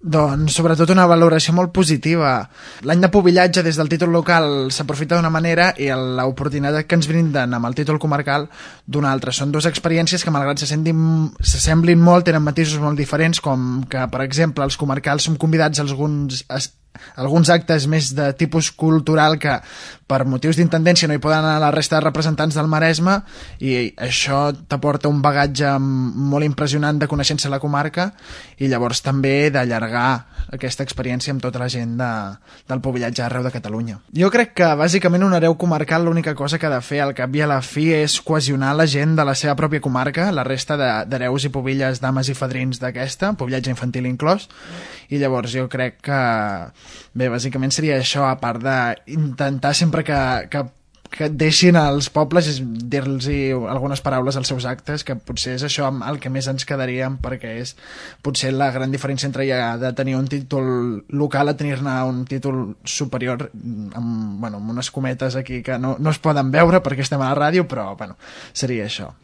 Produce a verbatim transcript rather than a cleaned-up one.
Doncs sobretot una valoració molt positiva. L'any de pubillatge des del títol local s'aprofita d'una manera i l'oportunitat que ens brinden amb el títol comarcal d'una altra. Són dues experiències que malgrat s'assemblin molt tenen matisos molt diferents, com que per exemple els comarcals som convidats a alguns alguns actes més de tipus cultural que per motius d'intendència no hi poden anar la resta de representants del Maresme, i això t'aporta un bagatge molt impressionant de coneixença a la comarca i llavors també d'allargar aquesta experiència amb tota la gent de, del pubillatge arreu de Catalunya. Jo crec que bàsicament un hereu comarcal l'única cosa que ha de fer al cap i a la fi és cohesionar la gent de la seva pròpia comarca, la resta d'hereus i pubilles, dames i fadrins d'aquesta, pubillatge infantil inclòs, i llavors jo crec que bé, bàsicament seria això, a part d'intentar sempre que, que, que et deixin als pobles dir-los algunes paraules als seus actes, que potser és això el que més ens quedaríem, perquè és potser la gran diferència entre ja de tenir un títol local a tenir-ne un títol superior amb, bueno, amb unes cometes aquí que no, no es poden veure perquè estem a la ràdio, però bueno, seria això.